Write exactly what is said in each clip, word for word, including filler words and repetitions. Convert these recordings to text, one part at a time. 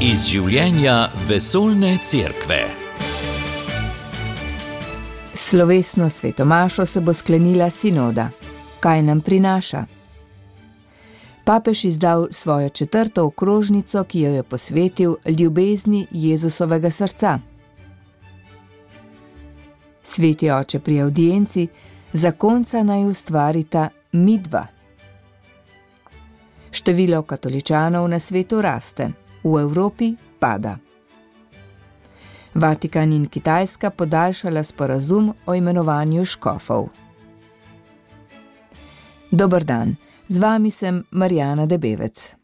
Iz življenja vesoljne cerkve. Slovesno svetomašo se bo sklenila sinoda. Kaj nam prinaša? Papež izdal svojo četrto okrožnico, ki jo je posvetil ljubezni Jezusovega srca. Sveti oče pri avdienci, zakonca naj ustvarita midva. Število katoličanov na svetu raste, v Evropi pada. Vatikan in Kitajska podaljšala sporazum o imenovanju škofov. Dober dan, z vami sem Marjana Debevec.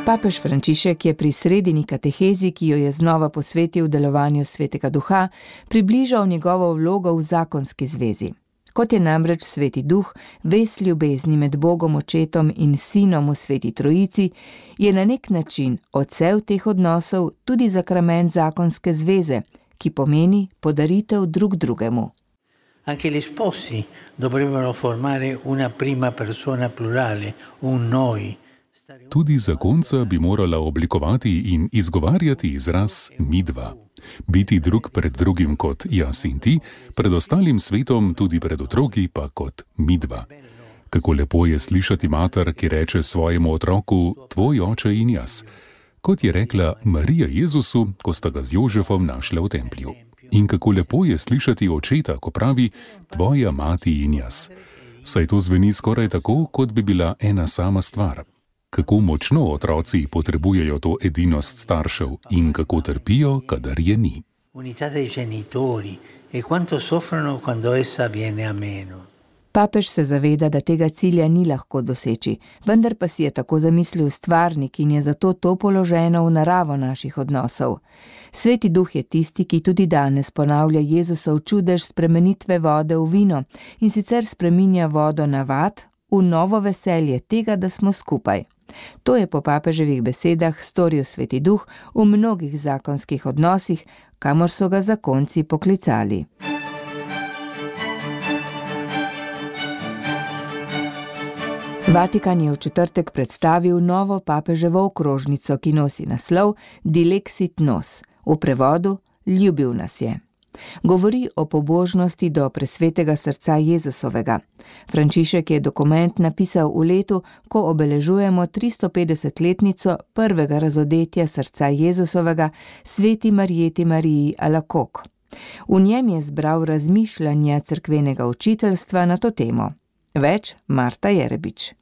Papež Frančišek je pri sredini katehezi, ki jo je znova posvetil delovanju Svetega Duha, približal njegovo vlogo v zakonski zvezi. Kot je namreč Sveti Duh, vez ljubezni med Bogom Očetom in Sinom v Sveti Trojici, je na nek način odsev teh odnosov tudi sakrament zakonske zveze, ki pomeni podaritev drug drugemu. Anche gli sposi dovrebbero formare una prima persona plurale, un noi. Tudi zakonca bi morala oblikovati in izgovarjati izraz midva. Biti drug pred drugim kot jaz in ti, pred ostalim svetom, tudi pred otroki pa kot midva. Kako lepo je slišati mater, ki reče svojemu otroku, tvoj oče in jaz. Kot je rekla Marija Jezusu, ko sta ga z Jožefom našla v templju. In kako lepo je slišati očeta, ko pravi, tvoja mati in jaz. Saj to zveni skoraj tako, kot bi bila ena sama stvar. Kako močno otroci potrebujejo to edinost staršev in kako trpijo, kadar je ni. Papež se zaveda, da tega cilja ni lahko doseči, vendar pa si je tako zamislil stvarnik in je zato to položeno v naravo naših odnosov. Sveti Duh je tisti, ki tudi danes ponavlja Jezusov čudež spremenitve vode v vino in sicer spreminja vodo navad v novo veselje tega, da smo skupaj. To je po papeževih besedah storil Sveti Duh v mnogih zakonskih odnosih, kamor so ga zakonci poklicali. Vatikan je v četrtek predstavil novo papeževo okrožnico, ki nosi naslov Dilexit nos, v prevodu Ljubil nas je. Govori o pobožnosti do presvetega srca Jezusovega. Frančišek je dokument napisal v letu, ko obeležujemo tristopetdesetletnico prvega razodetja srca Jezusovega sveti Marjeti Mariji Alakok. V njem je zbral razmišljanja cerkvenega učiteljstva na to temo. Več Marta Jerebič.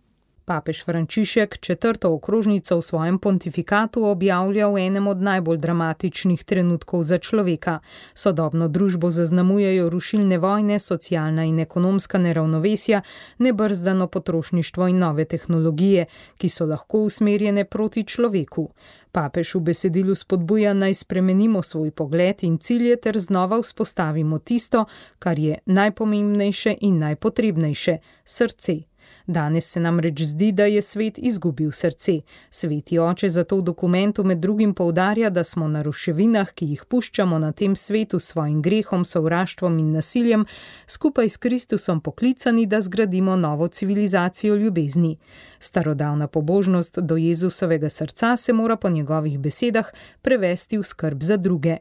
Papež Frančišek četrto okrožnico v svojem pontifikatu objavlja v enem od najbolj dramatičnih trenutkov za človeka. Sodobno družbo zaznamujejo rušilne vojne, socialna in ekonomska neravnovesja, nebrzdano potrošništvo in nove tehnologije, ki so lahko usmerjene proti človeku. Papež v besedilu spodbuja, naj spremenimo svoj pogled in cilje ter znova vzpostavimo tisto, kar je najpomembnejše in najpotrebnejše – srce. Danes se namreč zdi, da je svet izgubil srce. Sveti oče zato v dokumentu med drugim poudarja, da smo na ruševinah, ki jih puščamo na tem svetu s svojim grehom, sovraštvom in nasiljem, skupaj s Kristusom poklicani, da zgradimo novo civilizacijo ljubezni. Starodavna pobožnost do Jezusovega srca se mora po njegovih besedah prevesti v skrb za druge.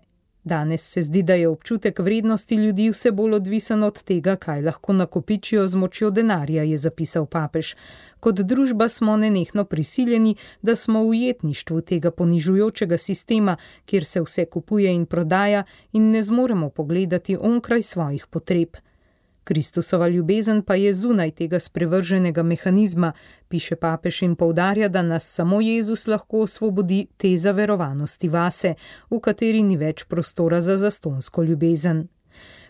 Danes se zdi, da je občutek vrednosti ljudi vse bolj odvisen od tega, kaj lahko nakopičijo z močjo denarja, je zapisal papež. Kot družba smo nenehno prisiljeni, da smo v ujetništvu tega ponižujočega sistema, kjer se vse kupuje in prodaja in ne zmoremo pogledati onkraj svojih potreb. Kristusova ljubezen pa je zunaj tega sprevrženega mehanizma, piše papež in poudarja, da nas samo Jezus lahko osvobodi te zaverovanosti vase, v kateri ni več prostora za zastonsko ljubezen.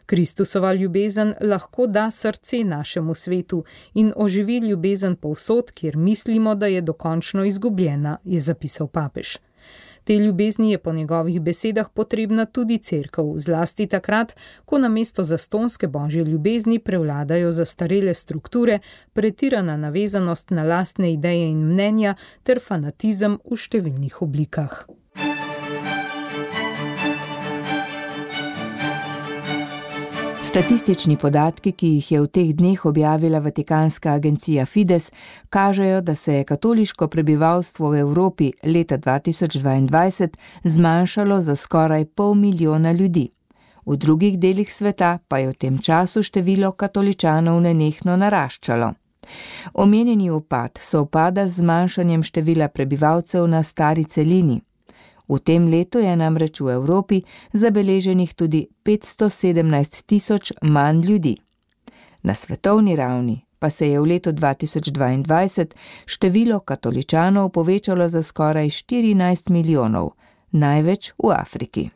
Kristusova ljubezen lahko da srce našemu svetu in oživi ljubezen povsod, kjer mislimo, da je dokončno izgubljena, je zapisal papež. Te ljubezni je po njegovih besedah potrebna tudi cerkev, zlasti takrat, ko namesto zastonske božje ljubezni prevladajo zastarele strukture, pretirana navezanost na lastne ideje in mnenja ter fanatizem v številnih oblikah. Statistični podatki, ki jih je v teh dneh objavila vatikanska agencija Fides, kažejo, da se je katoliško prebivalstvo v Evropi leta dva tisoč dvaindvajset zmanjšalo za skoraj pol milijona ljudi. V drugih delih sveta pa je v tem času število katoličanov nenehno naraščalo. Omenjeni upad sovpada z zmanjšanjem števila prebivalcev na stari celini. V tem letu je namreč v Evropi zabeleženih tudi petsto sedemnajst tisoč manj ljudi. Na svetovni ravni pa se je v letu dva tisoč dvaindvajset število katoličanov povečalo za skoraj štirinajst milijonov, največ v Afriki.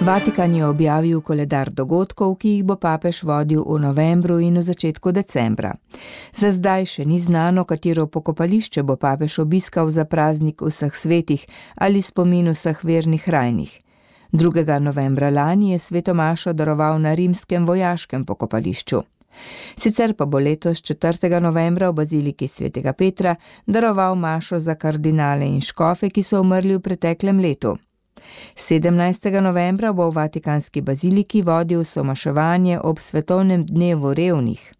Vatikan je objavil koledar dogodkov, ki jih bo papež vodil v novembru in v začetku decembra. Za zdaj še ni znano, katero pokopališče bo papež obiskal za praznik vseh svetih ali spomin vseh vernih rajnih. drugega novembra lani je sveto mašo daroval na rimskem vojaškem pokopališču. Sicer pa bo letos četrtega novembra v baziliki svetega Petra daroval mašo za kardinale in škofe, ki so umrli v preteklem letu. sedemnajstega novembra bo v vatikanski baziliki vodil somaševanje ob svetovnem dnevu revnih.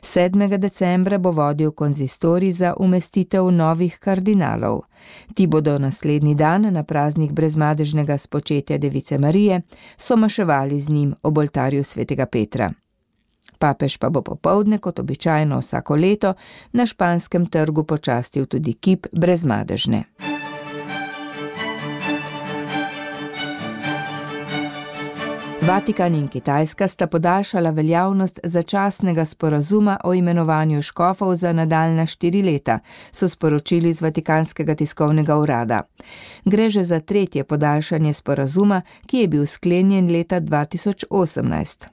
sedmega decembra bo vodil konzistorij za umestitev novih kardinalov. Ti bodo naslednji dan na praznik brezmadežnega spočetja Device Marije somaševali z njim ob oltarju svetega Petra. Papež pa bo popoldne, kot običajno vsako leto, na Španskem trgu počastil tudi kip brezmadežne. Vatikan in Kitajska sta podaljšala veljavnost začasnega sporazuma o imenovanju škofov za nadaljnja štiri leta, so sporočili iz Vatikanskega tiskovnega urada. Gre že za tretje podaljšanje sporazuma, ki je bil sklenjen leta dva tisoč osemnajst.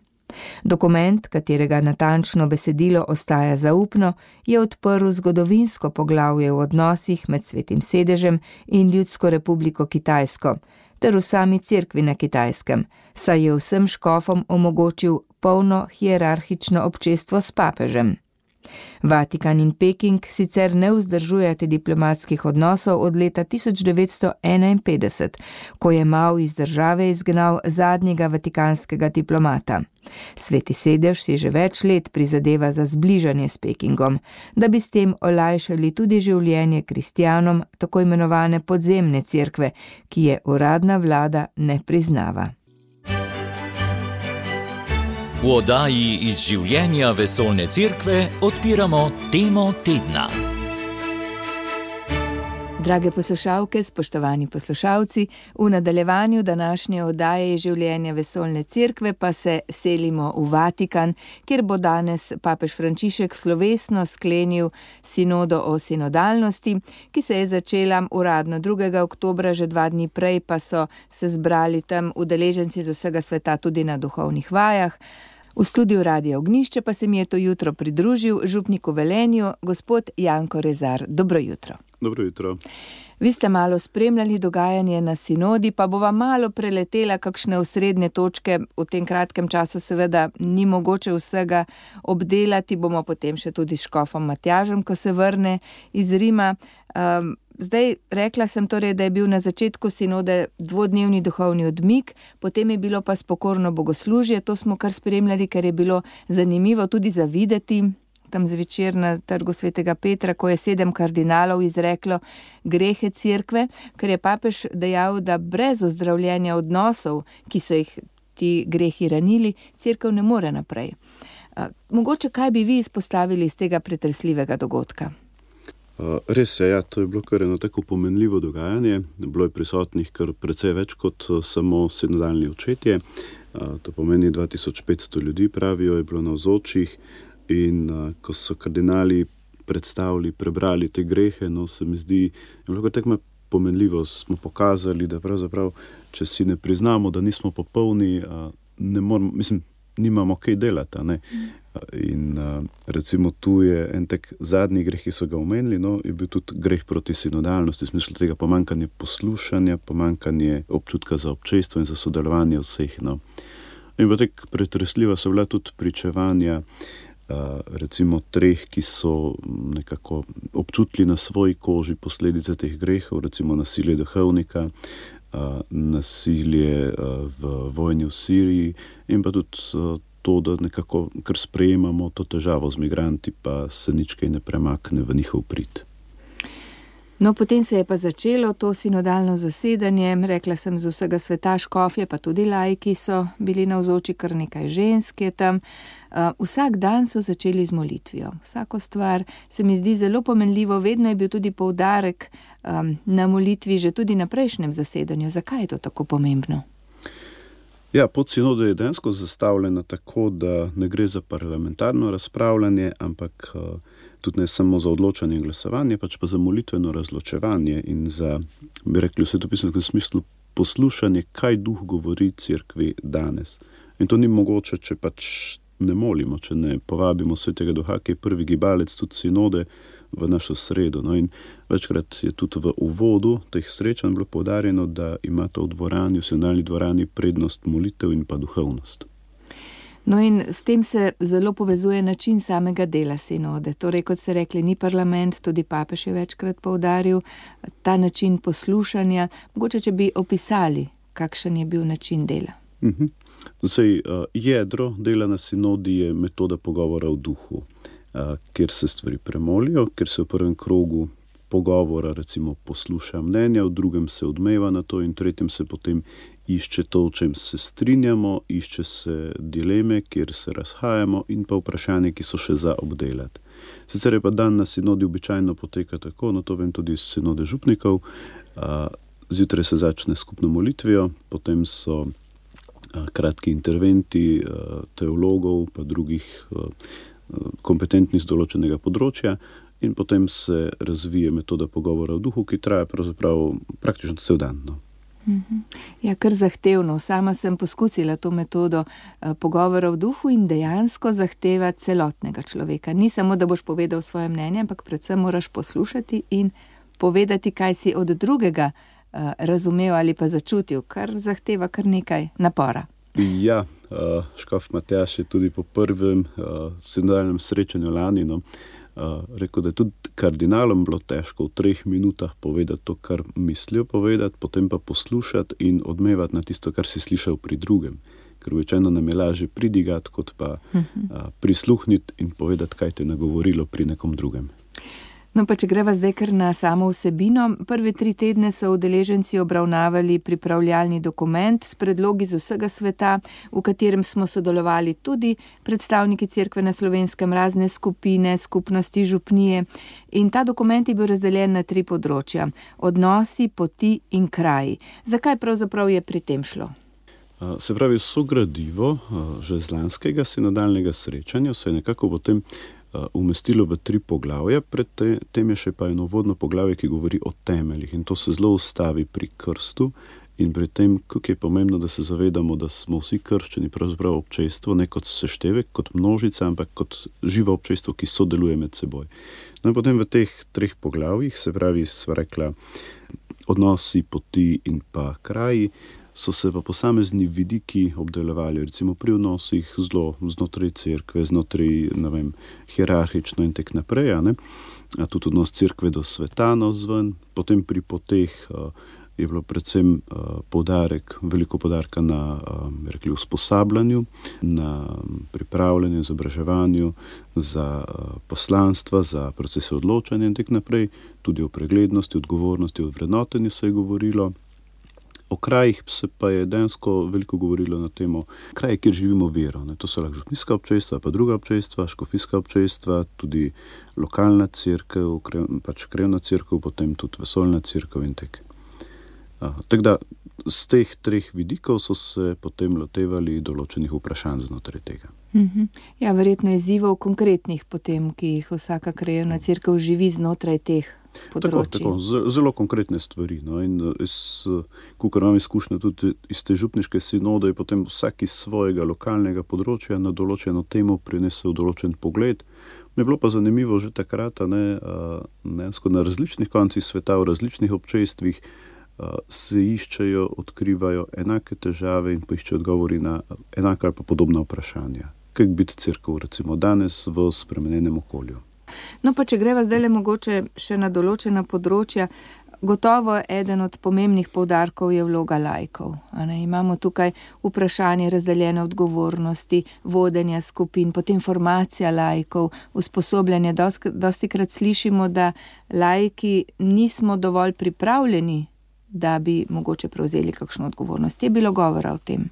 Dokument, katerega natančno besedilo ostaja zaupno, je odprl zgodovinsko poglavje v odnosih med Svetim sedežem in Ljudsko republiko Kitajsko, ter v sami cerkvi na Kitajskem, saj je vsem škofom omogočil polno hierarhično občestvo s papežem. Vatikan in Peking sicer ne vzdržujete diplomatskih odnosov od leta tisoč devetsto enainpetdeset, ko je Mao iz države izgnal zadnjega vatikanskega diplomata. Sveti sedež si že več let prizadeva za zbližanje s Pekingom, da bi s tem olajšali tudi življenje kristjanom tako imenovane podzemne cerkve, ki je uradna vlada ne priznava. V oddaji iz življenja vesoljne cerkve odpiramo temo tedna. Drage poslušalke, spoštovani poslušalci, v nadaljevanju današnje oddaje iz življenja vesoljne cerkve pa se selimo v Vatikan, kjer bo danes papež Frančišek slovesno sklenil sinodo o sinodalnosti, ki se je začela uradno drugega oktobra, že dva dni prej pa so se zbrali tam udeleženci z vsega sveta tudi na duhovnih vajah. V studiu Radia Ognjišče pa se mi je to jutro pridružil župnik v Velenju, gospod Janko Rezar. Dobro jutro. Dobro jutro. Vi ste malo spremljali dogajanje na sinodi, pa bova malo preletela kakšne osrednje točke. V tem kratkem času seveda ni mogoče vsega obdelati, bomo potem še tudi s škofom Matjažem, ko se vrne iz Rima. Um, Zdaj, rekla sem torej, da je bil na začetku sinode dvodnevni duhovni odmik, potem je bilo pa spokorno bogoslužje, to smo kar spremljali, ker je bilo zanimivo tudi za videti, tam zvečer na trgu svetega Petra, ko je sedem kardinalov izreklo grehe cerkve, ker je papež dejal, da brez ozdravljenja odnosov, ki so jih ti grehi ranili, cerkev ne more naprej. Mogoče kaj bi vi izpostavili iz tega pretresljivega dogodka? Res je, ja, to je bilo kar eno tako pomenljivo dogajanje. Bilo je prisotnih kar precej več kot samo sinodalni očetje. To pomeni dva tisoč petsto ljudi, pravijo, je bilo navzočih in ko so kardinali predstavili, prebrali te grehe, no se mi zdi, je bilo kar tako pomenljivo, smo pokazali, da pravzaprav, če si ne priznamo, da nismo popolni, ne moramo, mislim, nimamo kaj delati, ne. In recimo tu je en tak zadnji greh, ki so ga omenili, no, je bil tudi greh proti sinodalnosti, v smislu tega pomankanje poslušanja, pomankanje občutka za občestvo in za sodelovanje vseh, no. In pa tak pretresljiva so bila tudi pričevanja recimo treh, ki so nekako občutili na svoji koži posledice teh grehov, recimo nasilje duhovnika, nasilje v vojni v Siriji in pa tudi to, da nekako kar sprejemamo to težavo z migranti, pa se nič kaj ne premakne v njihov prid. No, potem se je pa začelo to sinodalno zasedanje, rekla sem z vsega sveta, škofje, pa tudi laiki so bili navzoči, kar nekaj žensk je tam. Uh, vsak dan so začeli z molitvijo. Vsako stvar se mi zdi zelo pomenljivo, vedno je bil tudi poudarek um, na molitvi, že tudi na prejšnjem zasedanju. Zakaj je to tako pomembno? Ja, pot sinode je dejansko zastavljena tako, da ne gre za parlamentarno razpravljanje, ampak uh, tudi ne samo za odločanje in glasovanje, pač pa za molitveno razločevanje in za, bi rekli v svetopisnem smislu, poslušanje, kaj duh govori cerkvi danes. In to ni mogoče, če pač ne molimo, če ne povabimo svetega duha, ki je prvi gibalec tudi sinode v našo sredo. No, in večkrat je tudi v uvodu teh srečanj bilo poudarjeno, da imata v dvorani, v sinodalni dvorani prednost molitev in pa duhovnost. No in s tem se zelo povezuje način samega dela sinode. Torej, kot ste rekli, ni parlament, tudi papež je večkrat poudaril ta način poslušanja. Mogoče, če bi opisali, kakšen je bil način dela. Uh-huh. Zdaj, uh, jedro dela na sinodi je metoda pogovora v duhu, uh, kjer se stvari premolijo, kjer se v prvem krogu pogovora recimo posluša mnenja, v drugem se odmeva na to in tretjem se potem išče to, o čem se strinjamo, išče se dileme, kjer se razhajamo in pa vprašanje, ki so še za obdelati. Sicer je pa dan na sinodi običajno poteka tako, no to vem tudi iz sinode župnikov, uh, zjutraj se začne skupno molitvijo, potem so kratki interventi teologov pa drugih kompetentnih z določenega področja in potem se razvije metoda pogovora v duhu, ki traja pravzaprav praktično cel dan. No. Ja, kar zahtevno. Sama sem poskusila to metodo pogovora v duhu in dejansko zahteva celotnega človeka. Ni samo, da boš povedal svoje mnenje, ampak predvsem moraš poslušati in povedati, kaj si od drugega razumel ali pa začutil, kar zahteva kar nekaj napora. Ja, škof Matjaž je tudi po prvem sinodalnem srečanju lani no, rekel, da je tudi kardinalom bilo težko v treh minutah povedati to, kar mislijo povedati, potem pa poslušati in odmevati na tisto, kar si slišal pri drugem. Ker običajno nam je lažje pridigati, kot pa prisluhniti in povedati, kaj te je nagovorilo pri nekom drugem. No pa če greva zdaj kar na samo vsebino, prve tri tedne so udeleženci obravnavali pripravljalni dokument s predlogi z vsega sveta, v katerem smo sodelovali tudi predstavniki cerkve na Slovenskem, razne skupine, skupnosti, župnije. In ta dokument je bil razdeljen na tri področja: odnosi, poti in kraji. Zakaj pravzaprav je pri tem šlo? Se pravi, so gradivo že z lanskega sinodalnega srečanja, se je nekako potem umestilo v tri poglavja, pred tem je še pa eno uvodno poglavje, ki govori o temeljih in to se zelo ustavi pri krstu in pri tem, kako je pomembno, da se zavedamo, da smo vsi krščeni pravzaprav občestvo, ne kot seštevek, kot množica, ampak kot živo občestvo, ki sodeluje med seboj. No in potem v teh treh poglavjih, se pravi, sva rekla, odnosi, poti in pa kraji, so se pa posamezni vidiki obdelovali, recimo pri odnosih zelo znotraj cerkve, znotraj, ne vem, hierarhično in tek naprej, a ne? A tudi odnos cerkve do sveta navzven, potem pri poteh uh, je bilo predvsem uh, poudarek, veliko poudarka na uh, rekli, usposabljanju, na pripravljanju, izobraževanju za uh, poslanstva, za procese odločanja in tek naprej, tudi o preglednosti, odgovornosti, o vrednotenju se je govorilo. O krajih se pa je dejansko veliko govorilo na temo kraje, kjer živimo vero. Ne? To so lahko župnijska občestva, pa druga občestva, škofijska občestva, tudi lokalna cerkev, pač krevna cerkev, potem tudi vesoljna cerkev in tek. Tako da z teh treh vidikov so se potem lotevali določenih vprašanj znotraj tega. Mhm. Ja, verjetno izzivov konkretnih potem, ki jih vsaka krajevna cerkev živi znotraj teh področji. Tako, tako, zelo konkretne stvari. No, in jaz, kakor imam izkušnje tudi iz te župniške sinode, je potem vsak iz svojega lokalnega področja na določeno temo prinesel določen pogled. Mi je bilo pa zanimivo že takrat, ne, dejansko na različnih koncih sveta, v različnih občestvih se iščejo, odkrivajo enake težave in poiščejo odgovori na enaka ali pa podobna vprašanja. Kako biti cerkev recimo danes v spremenjenem okolju? No pa če greva zdaj le mogoče še na določena področja, Gotovo eden od pomembnih poudarkov je vloga laikov. A ne? Imamo tukaj vprašanje razdeljene odgovornosti, vodenja skupin, potem formacija laikov, usposobljanje. Dostikrat slišimo, da laiki nismo dovolj pripravljeni, da bi mogoče prevzeli kakšno odgovornost. Je bilo govora o tem?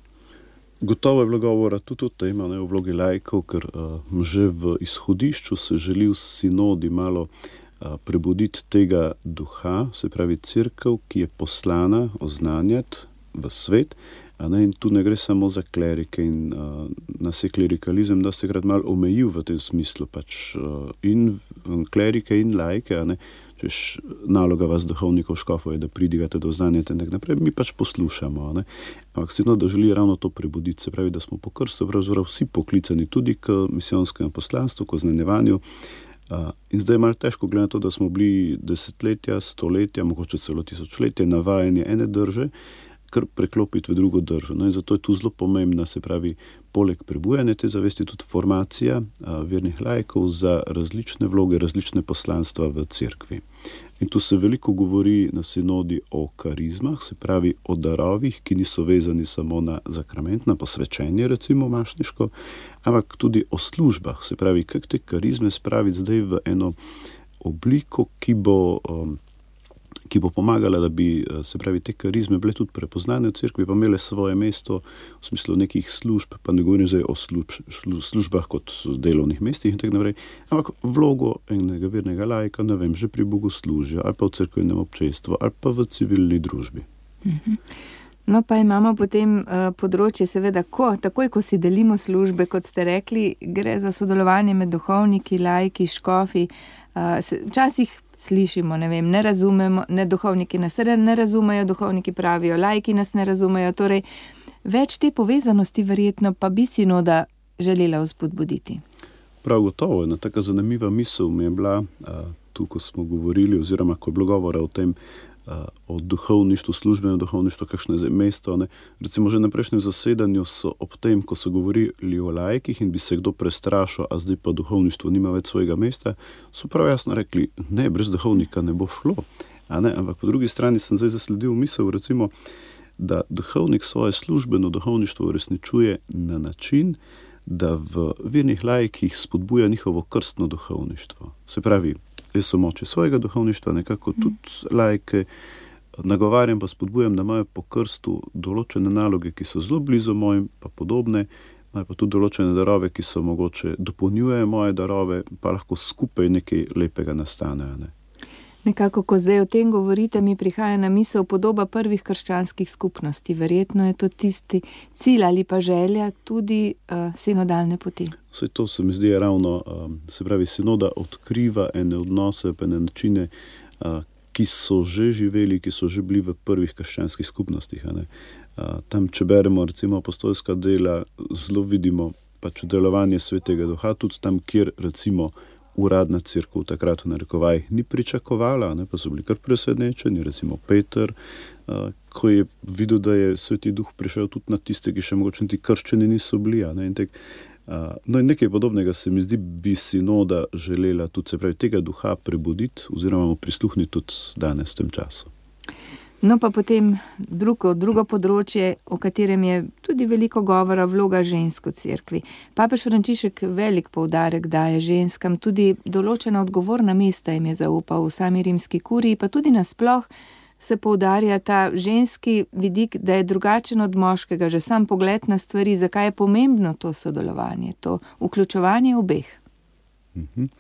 Gotovo je bilo govora tudi o tem, ne, o vlogi laikov, ker uh, že v izhodišču se želi v sinodi malo uh, prebuditi tega duha, se pravi cerkev, ki je poslana oznanjati v svet, a ne, in tu ne gre samo za klerike in uh, nas je klerikalizem, da se krat malo omejil v tem smislu, pač uh, in klerike in laike, a ne, češ naloga vas duhovnikov škofov je, da pridigate do znanja in tak naprej, mi pač poslušamo, ne. Ampak sigurno, da želi ravno to prebuditi, se pravi, da smo po krstu pravzaprav vsi poklicani tudi k misijonskemu poslanstvu, k oznanjevanju. Uh, in zdaj je malo težko gledati to, da smo bili desetletja, stoletja, mogoče celo tisočletja navajeni ene drže, kar preklopiti v drugo držo. No in zato je tu zelo pomembna, se pravi, poleg prebujanja te zavesti tudi formacija a, vernih laikov za različne vloge, različne poslanstva v cerkvi. In tu se veliko govori na sinodi o karizmah, se pravi o darovih, ki niso vezani samo na zakrament, na posvečenje, recimo mašniško, ampak tudi o službah, se pravi, kak te karizme spraviti zdaj v eno obliko, ki bo um, ki bo pomagala, da bi, se pravi, te karizme bile tudi prepoznane v cerkvi, pa imele svoje mesto v smislu nekih služb, pa ne govorim zdaj o služb, službah kot delovnih mestih in tako naprej, ampak vlogo enega vernega laika, ne vem, že pri bogoslužju, ali pa v cerkvenem občestvu, ali pa v civilni družbi. No, pa imamo potem uh, področje, seveda, ko, takoj, ko si delimo službe, kot ste rekli, gre za sodelovanje med duhovniki, laiki, škofi, uh, se, včasih slišimo, ne vem, ne razumemo, ne duhovniki nas ne razumejo, duhovniki pravijo, laiki nas ne razumejo, torej več te povezanosti verjetno pa bi sinoda želela vzpodbuditi. Prav gotovo, ena taka zanimiva misel mi je bila, a, tu, ko smo govorili, oziroma ko je bilo govora o tem, a, o duhovništvu, službenem duhovništvu, kakšno je mesto, ne. Recimo že na prejšnjem zasedanju so ob tem, ko so govorili o laikih in bi se kdo prestrašil, a zdaj pa duhovništvo nima več svojega mesta, so prav jasno rekli, ne, brez duhovnika ne bo šlo. A ne, ampak po drugi strani sem zdaj zasledil misel, recimo, da duhovnik svoje službeno duhovništvo uresničuje na način, da v vernih laikih spodbuja njihovo krstno duhovništvo. Se pravi, jaz so moči svojega duhovništva, nekako tudi laike nagovarjam, pa spodbujam, da imajo po krstu določene naloge, ki so zelo blizu mojim, pa podobne, imajo pa tudi določene darove, ki so mogoče dopolnjujejo moje darove, pa lahko skupaj nekaj lepega nastane. Ne? Nekako, ko zdaj o tem govorite, mi prihaja na misel podoba prvih krščanskih skupnosti. Verjetno je to tisti cilj ali pa želja tudi uh, sinodalne poti. Vse to se mi zdi ravno, um, se pravi, sinoda odkriva ene odnose, pa ene načine, uh, ki so že živeli, ki so že bili v prvih krščanskih skupnostih. A ne? Uh, tam, če beremo recimo apostolska dela, zelo vidimo pač delovanje Svetega Duha, tudi tam, kjer recimo uradna cerkev takrat v narekovajih ni pričakovala, ne, pa so bili kar presenečeni, recimo Peter, uh, ko je videl, da je Sveti Duh prišel tudi na tiste, ki še mogoče ti krščeni niso bili. Ne, in tek, uh, no in nekaj podobnega se mi zdi, bi sinoda želela tudi, se pravi, tega duha prebuditi oziroma mu prisluhniti tudi danes v tem času. No pa potem drugo, drugo področje, o katerem je tudi veliko govora, vloga žensk v cerkvi. Papež Frančišek velik poudarek daje ženskam, tudi določena odgovorna mesta jim je zaupal v sami rimski kuriji, pa tudi nasploh se poudarja ta ženski vidik, da je drugačen od moškega, že sam pogled na stvari, zakaj je pomembno to sodelovanje, to vključevanje obeh. Mhm.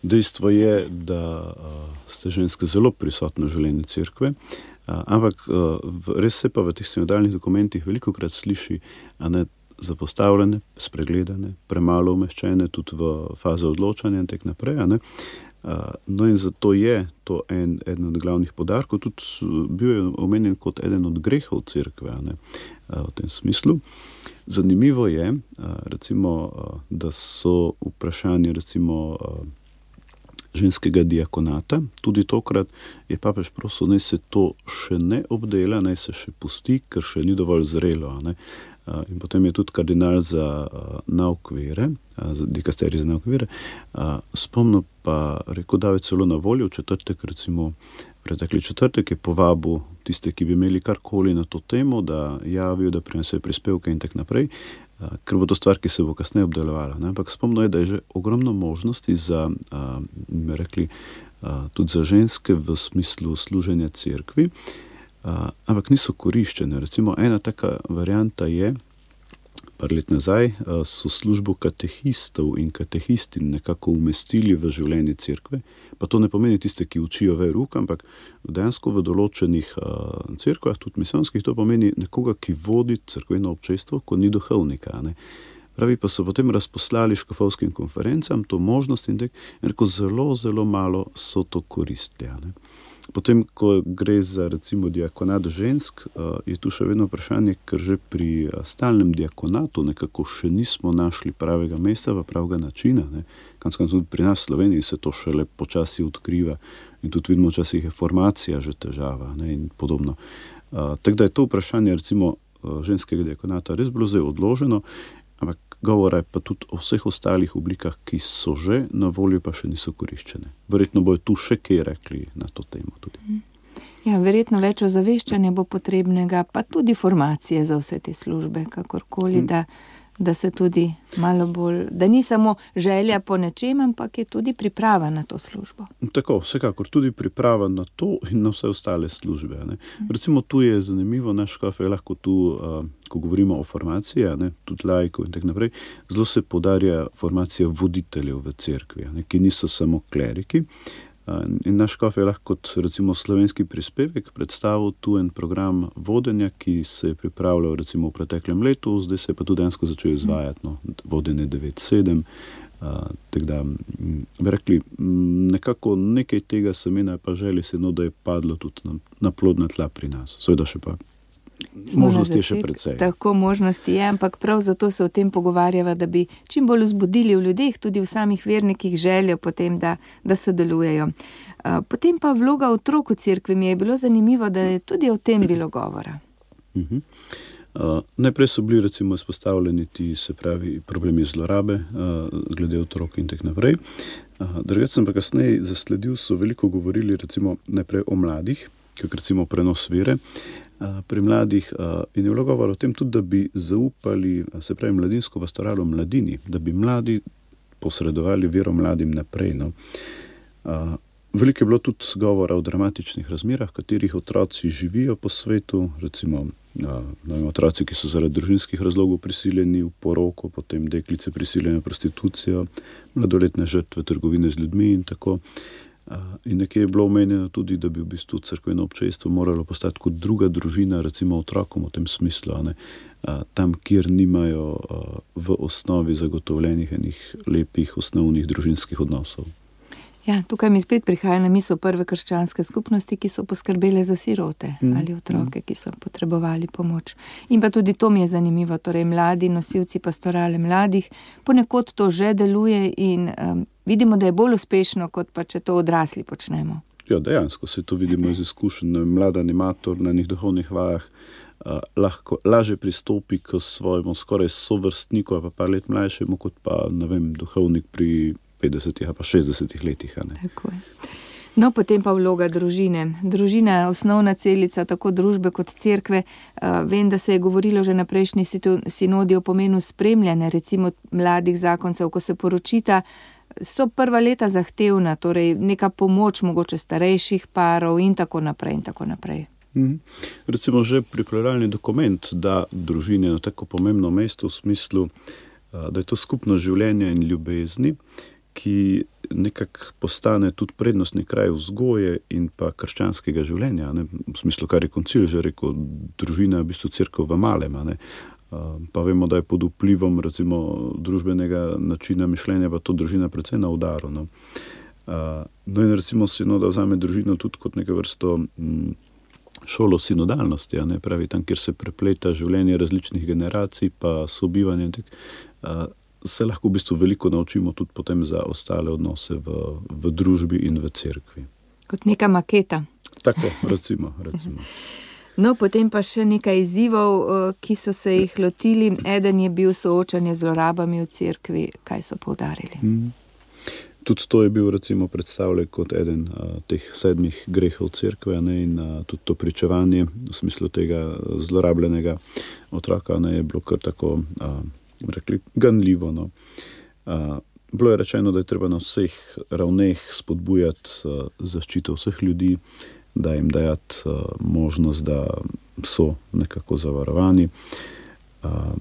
Dejstvo je, da uh, ste ženske zelo prisotne v življenju cerkve, Uh, ampak uh, res se pa v teh sinodalnih dokumentih veliko krat sliši, a ne, zapostavljene, spregledane, premalo umeščene tudi v faze odločanja in tak naprej. A ne. Uh, no in zato je to en, eden od glavnih poudarkov, tudi bil je omenjen kot eden od grehov cerkve, a ne, uh, v tem smislu. Zanimivo je, uh, recimo, uh, da so vprašanje recimo uh, ženskega diakonata. Tudi tokrat je papež prosil, naj se to še ne obdela, naj se še pusti, ker še ni dovolj zrelo. Ne? In potem je tudi kardinal za nauk vere, za dikasterij za nauk vere, spomnil pa, rekel, da je celo na voljo v četrtek recimo pretekli četrtek je povabil tiste, ki bi imeli karkoli na to temo, da javijo, da prinesejo prispevke in tak naprej, ker bo to stvar, ki se bo kasneje obdelovala. Ne? Ampak spomnil je, da je že ogromno možnosti za, bi rekli, tudi za ženske v smislu služenja cerkvi, ampak niso koriščene. Recimo ena taka varianta je, par let nazaj so službo katehistov in katehistin nekako umestili v življenje cerkve, pa to ne pomeni tiste, ki učijo veruk, ampak dejansko v določenih cerkvah, tudi misijonskih, to pomeni nekoga, ki vodi cerkveno občestvo, ko ni duhovnika. Ne? Pravi, pa so potem razposlali škofovskim konferencam to možnost in tek, in zelo, zelo malo so to koristili. Ne? Potem, ko gre za recimo diakonat žensk, je tu še vedno vprašanje, ker že pri stalnem diakonatu nekako še nismo našli pravega mesta, pa pravega načina. Ne. Kanskaj tudi pri nas v Sloveniji se to šele počasi odkriva in tudi vidimo, včasih je formacija že težava, ne, in podobno. Tako da je to vprašanje recimo ženskega diakonata res bilo zdaj odloženo, ampak govora je pa tudi o vseh ostalih oblikah, ki so že na voljo, pa še niso koriščene. Verjetno bojo tu še kaj rekli na to temo tudi. Ja, verjetno več ozaveščanja bo potrebnega, pa tudi formacije za vse te službe, kakorkoli, hmm. da, da se tudi malo bolj, da ni samo želja po nečem, ampak je tudi priprava na to službo. Tako, vsekakor, tudi priprava na to in na vse ostale službe. Ne. Recimo tu je zanimivo, naš škof je lahko tu, uh, ko govorimo o formaciji, ne, tudi laikov in tak naprej, zelo se podarja formacija voditeljev v cerkvi, ne, ki niso samo kleriki. In naš škof je lahko kot recimo slovenski prispevek predstavil tu en program vodenja, ki se je pripravljal recimo v preteklem letu, zdaj se je pa tudi dejansko začel izvajati, no, vodenje devet sedem, uh, tako da bi rekli, nekako nekaj tega semena pa želi se, no, da je padlo tudi na, na plodna tla pri nas. Seveda še pa možnosti je še precej. Tako možnosti je, ampak prav zato se o tem pogovarjava, da bi čim bolj vzbudili v ljudeh, tudi v samih vernikih željo potem, da, da sodelujejo. Potem pa vloga otrok v cerkvi, mi je bilo zanimivo, da je tudi o tem bilo govora. Uh-huh. Uh, najprej so bili recimo izpostavljeni ti, se pravi, problemi zlorabe, uh, glede otrok in tak naprej. Uh, drugače sem pa kasneje zasledil, so veliko govorili recimo najprej o mladih, kot recimo prenos vere, pri mladih in je bilo govor o tem tudi, da bi zaupali, se pravi, mladinsko pastoralo mladini, da bi mladi posredovali vero mladim naprej. No. Veliko je bilo tudi govora o dramatičnih razmerah, katerih otroci živijo po svetu, recimo no, otroci, ki so zaradi družinskih razlogov prisiljeni v poroko, potem deklice prisiljene v prostitucijo, mladoletne žrtve trgovine z ljudmi in tako. In nekje je bilo omenjeno tudi, da bi v bistvu cerkveno občestvo moralo postati kot druga družina, recimo otrokom v tem smislu, ne? Tam, kjer nimajo v osnovi zagotovljenih enih lepih osnovnih družinskih odnosov. Ja, tukaj mi spet prihaja na misel prve krščanske skupnosti, ki so poskrbele za sirote mm. ali otroke, ki so potrebovali pomoč. In pa tudi to mi je zanimivo, torej mladi nosilci pastorale mladih, ponekod to že deluje in um, vidimo, da je bolj uspešno, kot pa če to odrasli počnemo. Ja, dejansko se to vidimo iz izkušenj. Mlad animator na njih duhovnih vajah uh, lahko lažje pristopi k svojemu skoraj sovrstniku, pa par let mlajšemu, kot pa, ne vem, duhovnik pri petdesetih ali pa šestdesetih letih. Ne? Tako je. No, potem pa vloga družine. Družina je osnovna celica tako družbe kot cerkve. Uh, vem, da se je govorilo že na prejšnji sinodi o pomenu spremljanja, recimo mladih zakoncev, ko se poročita, so prva leta zahtevna, torej neka pomoč mogoče starejših parov in tako naprej in tako naprej. Mhm. Recimo že pripravljalni dokument da družine na tako pomembno mesto v smislu, uh, da je to skupno življenje in ljubezni, ki nekako postane tudi prednostni kraj vzgoje in pa krščanskega življenja, ne? V smislu, kar je koncil že rekel, družina je v bistvu cerkev v malem, ne? Pa vemo, da je pod vplivom recimo družbenega načina mišljenja pa to družina precej na udaru. No, no in recimo sinoda vzame družino tudi kot neke vrsto m, šolo sinodalnosti, a ne pravi tam, kjer se prepleta življenje različnih generacij pa sobivanje, tak, a, se lahko v bistvu veliko naučimo tudi potem za ostale odnose v, v družbi in v cerkvi. Kot neka maketa. Tako, recimo, recimo. No, potem pa še nekaj izzivov, ki so se jih lotili. Eden je bil soočanje z zlorabami v cerkvi. Kaj so poudarili? Hmm. Tudi to je bil recimo predstavljen kot eden a, teh sedmih grehov cerkve, ne, in a, tudi to pričevanje v smislu tega zlorabljenega otroka, ne, je bilo kar tako, a, rekli, ganljivo. No. A, bilo je rečeno, da je treba na vseh ravneh spodbujati a, zaščito vseh ljudi, da jim dajati a, možnost, da so nekako zavarovani. A,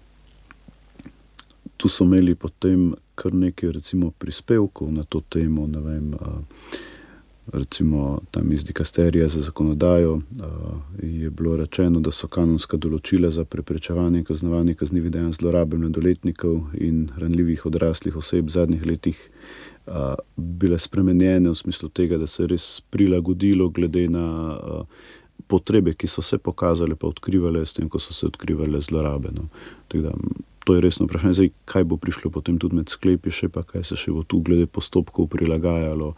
tu so imeli potem kar nekaj recimo prispevkov na to temo, ne vem, a, recimo tam iz dikasterija za zakonodajo a, je bilo rečeno, da so kanonska določila za preprečevanje in kaznovanje kaznivih dejanj zlorabe mladoletnikov in ranljivih odraslih oseb v zadnjih letih a, bile spremenjene v smislu tega, da se je res prilagodilo glede na a, potrebe, ki so se pokazale pa odkrivale s tem, ko so se odkrivale zlorabe. No. Tako da, to je resno vprašanje. Zdaj, kaj bo prišlo potem tudi med sklepi še, pa kaj se še bo tu glede postopkov prilagajalo,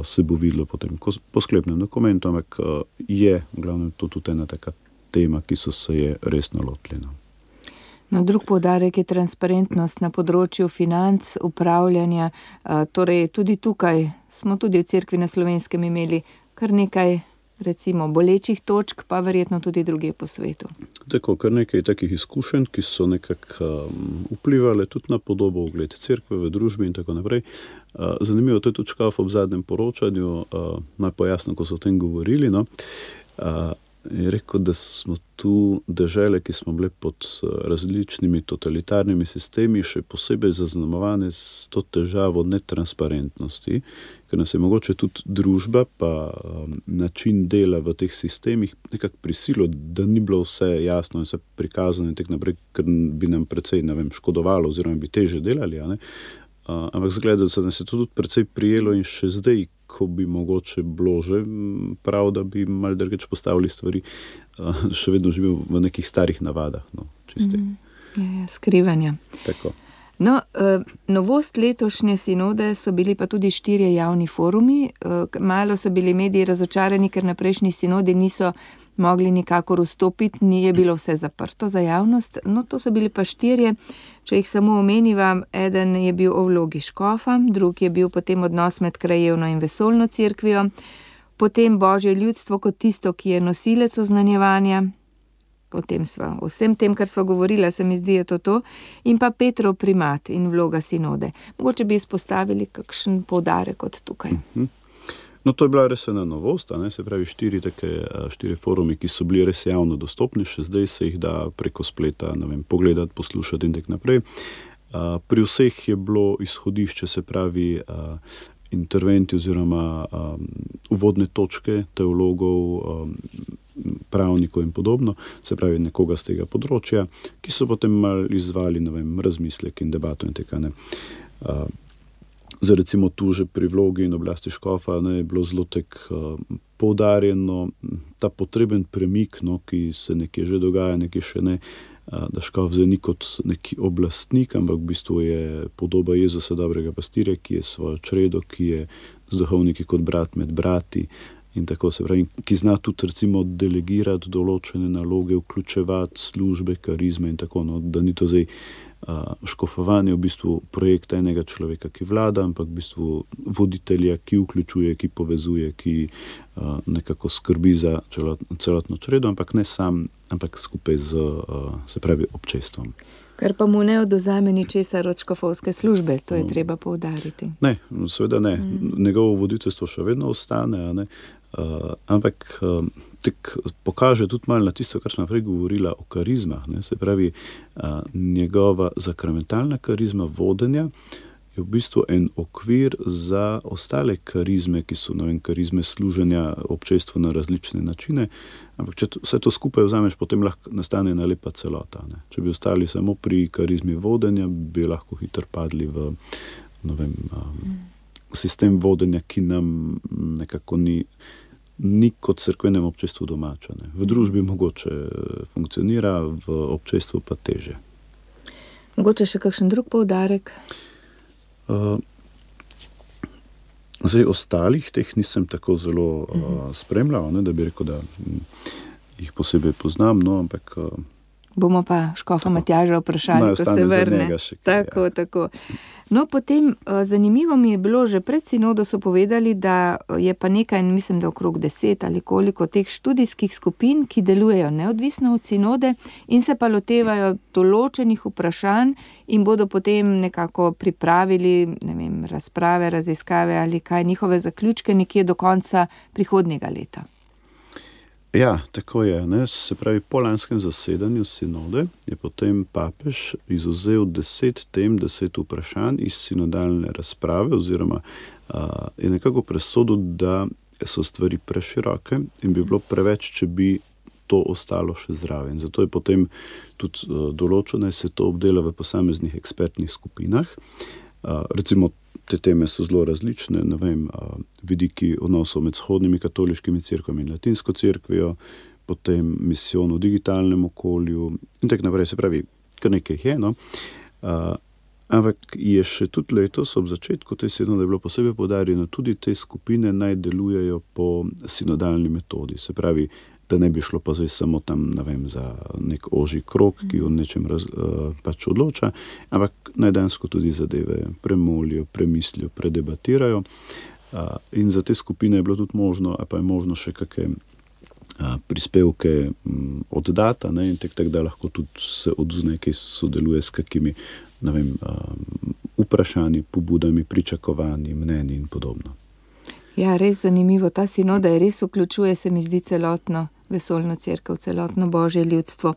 se bo videlo potem po sklepnem dokumentu, ampak je v glavnem to tudi ena taka tema, ki so se je resno lotili. No. No, drug poudarek je transparentnost na področju financ, upravljanja, torej tudi tukaj smo tudi v Cerkvi na Slovenskem imeli kar nekaj recimo bolečih točk, pa verjetno tudi druge po svetu. Tako, kar nekaj takih izkušenj, ki so nekako um, vplivali tudi na podobo ugled cerkve v družbi in tako naprej. Uh, zanimivo, to je tudi Škof ob zadnjem poročanju, uh, naj pojasnim, ko so o tem govorili, no, uh, je rekel, da smo tu dežele, ki smo bile pod različnimi totalitarnimi sistemi, še posebej zaznamovane s to težavo netransparentnosti, ker nas je mogoče tudi družba pa um, način dela v teh sistemih nekako prisilo, da ni bilo vse jasno in vse prikazano in tak naprej, ker bi nam precej, ne vem, škodovalo oziroma bi teže delali, a ne? Uh, ampak zgleda, da se nas je to tudi precej prijelo in še zdaj, ko bi mogoče bilo že prav, da bi malo drugače postavili stvari, uh, še vedno živel v nekih starih navadah, no, čisti. Mm, je, je, skrivanja. Tako. No, uh, novost letošnje sinode so bili pa tudi štirje javni forumi. Uh, malo so bili mediji razočarani, ker na prejšnji sinodi niso mogli nikakor vstopiti, ni je bilo vse zaprto za javnost. No, to so bili pa štirje. Če jih samo omenivam, eden je bil o vlogi škofa, drug je bil potem odnos med krajevno in vesoljno cerkvijo, potem Božje ljudstvo kot tisto, ki je nosilec oznanjevanja, o tem sva, o vsem tem, kar sva govorila, se mi zdi, je to to, in pa Petrov primat in vloga sinode. Mogoče bi izpostavili kakšen poudarek od tukaj. Mm-hmm. No, to je bila res ena novost, a ne, se pravi štiri take, štiri forumi, ki so bili res javno dostopni, še zdaj se jih da preko spleta, ne vem, pogledati, poslušati in tak naprej. Pri vseh je bilo izhodišče, se pravi, interventi oziroma uvodne točke teologov, pravnikov in podobno, se pravi nekoga z tega področja, ki so potem malo izvali, ne vem, razmislek in debato in tega, ne. Zdaj recimo tu že pri vlogi in oblasti škofa, ne, je bilo zelo tek uh, poudarjeno ta potreben premik, no, ki se nekje že dogaja, nekje še ne, uh, da škof zdaj ni kot neki oblastnik, ampak v bistvu je podoba Jezusa dobrega pastirja, ki je svojo čredo, ki je z duhovniki kot brat med brati in tako se pravi, ki zna tudi recimo delegirati določene naloge, vključevati službe, karizme in tako, no, da ni to zdaj Uh, škofovanje v bistvu projekt enega človeka, ki vlada, ampak v bistvu voditelja, ki vključuje, ki povezuje, ki uh, nekako skrbi za celot, celotno čredo, ampak ne sam, ampak skupaj z, uh, se pravi, občestvom. Kar pa mu ne odvzame ničesar od škofovske službe, to je treba poudariti. Ne, seveda ne. Mm. Njegovo voditeljstvo še vedno ostane, a ne. Uh, ampak uh, tek pokaže tudi malo na tisto, kar smo prej govorila o karizmah, ne? Se pravi, uh, njegova sakramentalna karizma vodenja je v bistvu en okvir za ostale karizme, ki so, ne vem, karizme služenja občestvu na različne načine, ampak če to, vse to skupaj vzameš, potem lahko nastane ena lepa celota, ne? Če bi ostali samo pri karizmi vodenja, bi lahko hitro padli v, ne vem, um, sistem vodenja, ki nam nekako ni ni kot cerkvenem občestvu domača. Ne. V družbi mogoče funkcionira, v občestvu pa teže. Mogoče še kakšen drug poudarek? Uh, zdaj, ostalih teh nisem tako zelo uh, spremljal, ne, da bi rekel, da m, jih posebej poznam, no, ampak uh, Bomo pa škofa Matjaža vprašali, Naj ko se ostane za vrne. njega še kaj, Tako, ja. tako. No, potem eh, zanimivo mi je bilo, že pred sinodo so povedali, da je pa nekaj, mislim, da okrog deset ali koliko teh študijskih skupin, ki delujejo neodvisno od sinode in se pa lotevajo določenih vprašanj in bodo potem nekako pripravili, ne vem, razprave, raziskave ali kaj, njihove zaključke nekje do konca prihodnjega leta. Ja, tako je. Ne? Se pravi, po lanskem zasedanju sinode je potem papež izvzel deset tem, deset vprašanj iz sinodalne razprave oziroma a, je nekako presodil, da so stvari preširoke in bi bilo preveč, če bi to ostalo še zraven. Zato je potem tudi a, določeno, da se to obdela v posameznih ekspertnih skupinah. A, recimo, te teme so zelo različne, ne vem, vidiki odnosov med vzhodnimi katoliškimi cerkvami in latinsko cerkvijo, potem misijon v digitalnem okolju in tako naprej, se pravi, kar nekaj je, no. A, ampak je še tudi letos ob začetku te sinode bilo posebej poudarjeno, tudi te skupine naj delujejo po sinodalni metodi, se pravi, da ne bi šlo pa zdaj samo tam, ne vem, za nek ožji krog, ki o nečem raz, uh, pač odloča, ampak najdansko tudi zadeve premolijo, premislijo, predebatirajo. Uh, in za te skupine je bilo tudi možno, a pa je možno še kakšne uh, prispevke um, oddata, ne, in tak, tak, da lahko tudi se odzune, ki sodeluje s kakimi, ne vem, uh, vprašanji, pobudami, pričakovanji, mnenji in podobno. Ja, res zanimivo. Ta sinoda je res vključuje, se mi zdi, celotno vesoljno cerkev, celotno božje ljudstvo.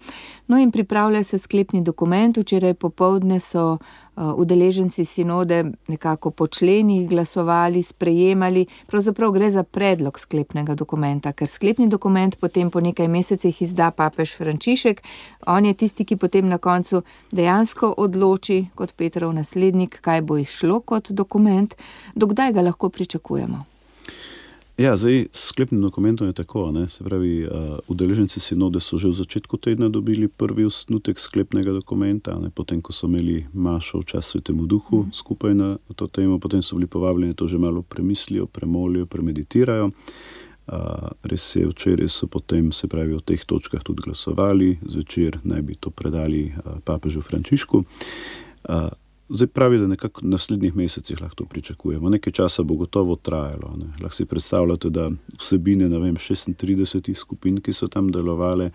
No in pripravlja se sklepni dokument. Včeraj popoldne so uh, udeleženci sinode nekako po členih glasovali, sprejemali. Pravzaprav gre za predlog sklepnega dokumenta, ker sklepni dokument potem po nekaj mesecih izda papež Frančišek. On je tisti, ki potem na koncu dejansko odloči kot Petrov naslednik, kaj bo izšlo kot dokument. Dokdaj ga lahko pričakujemo? Ja, zdaj s sklepnim dokumentom je tako, ne, se pravi, uh, udeleženci sinode so že v začetku tedna dobili prvi osnutek sklepnega dokumenta, ne, potem, ko so imeli mašo v času Svetemu Duhu skupaj na to temo, potem so bili povabljeni, to že malo premislijo, premolijo, premeditirajo. Uh, res je, včeraj so potem, se pravi, o teh točkah tudi glasovali, zvečer naj bi to predali uh, papežu Frančišku. Uh, Zdaj pravi, da nekako v naslednjih mesecih lahko to pričakujemo. Nekaj časa bo gotovo trajalo. Ne. Lahko si predstavljate, da vsebine, ne vem, šestintrideset skupin, ki so tam delovale,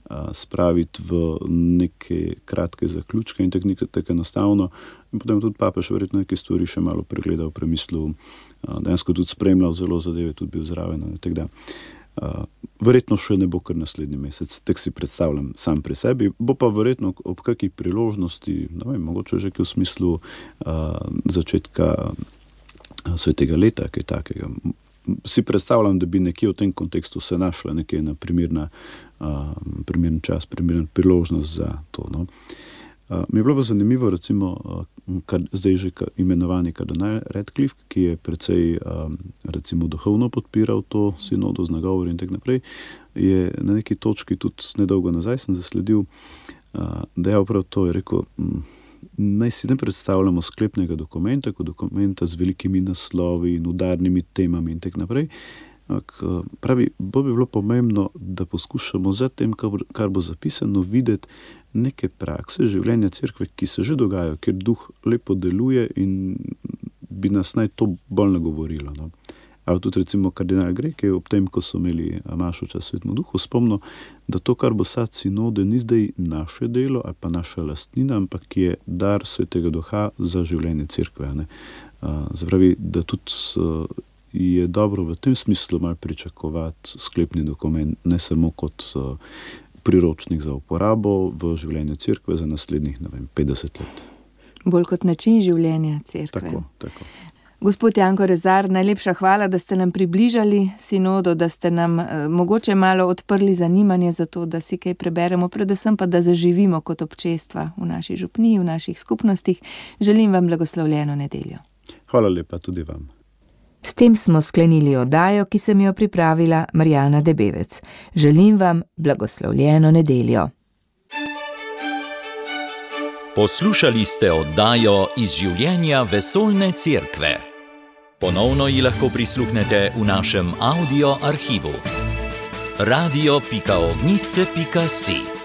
a, spraviti v neke kratke zaključke in tako tak enostavno. In potem tudi papež verjetno neke stvari še malo pregledal, premislil, a, dejansko tudi spremljal zelo zadeve, tudi bil zraven. Tako da Uh, verjetno še ne bo kar naslednji mesec, tak si predstavljam sam pri sebi, bo pa verjetno ob kakih priložnosti, ne vem, mogoče že v smislu uh, začetka uh, svetega leta, kaj takega. Si predstavljam, da bi nekje v tem kontekstu se našla nekje na primerna, uh, primern čas, primerna priložnost za to, no. Uh, mi je bilo pa zanimivo, recimo, uh, kar, zdaj že imenovani kardinal Radcliffe, ki je precej um, recimo duhovno podpiral to sinodo z nagovori in tak naprej, je na neki točki tudi nedolgo nazaj sem zasledil, uh, da je prav to, je rekel, m, naj si ne predstavljamo sklepnega dokumenta, kot dokumenta z velikimi naslovi in udarnimi temami in tak naprej. Pravi, bo bi bilo pomembno, da poskušamo za tem, kar bo zapisano, videti neke prakse življenja cerkve, ki se že dogajajo, kjer duh lepo deluje in bi nas naj to bolj nagovorilo. No. Ali tudi recimo kardinal Grek je ob tem, ko so imeli mašo v času Svetemu Duhu, spomnil, da to, kar bo sad sinode, ni zdaj naše delo ali pa naša lastnina, ampak je dar Svetega Duha za življenje cerkve. Ne. Zapravi, da tudi je dobro v tem smislu malo pričakovati sklepni dokument, ne samo kot uh, priročnik za uporabo v življenju cerkve za naslednjih, ne vem, petdeset let. Bolj kot način življenja cerkve. Tako, tako. Gospod Janko Rezar, najlepša hvala, da ste nam približali sinodo, da ste nam eh, mogoče malo odprli zanimanje za to, da si kaj preberemo, predvsem pa, da zaživimo kot občestva v naši župniji, v naših skupnostih. Želim vam blagoslovljeno nedeljo. Hvala lepa tudi vam. S tem smo sklenili oddajo, ki sem jo pripravila Marjana Debevec. Želim vam blagoslovljeno nedeljo. Poslušali ste oddajo iz življenja vesoljne cerkve. Ponovno ji lahko prisluhnete v našem audio arhivu. radio pika ognjišče pika si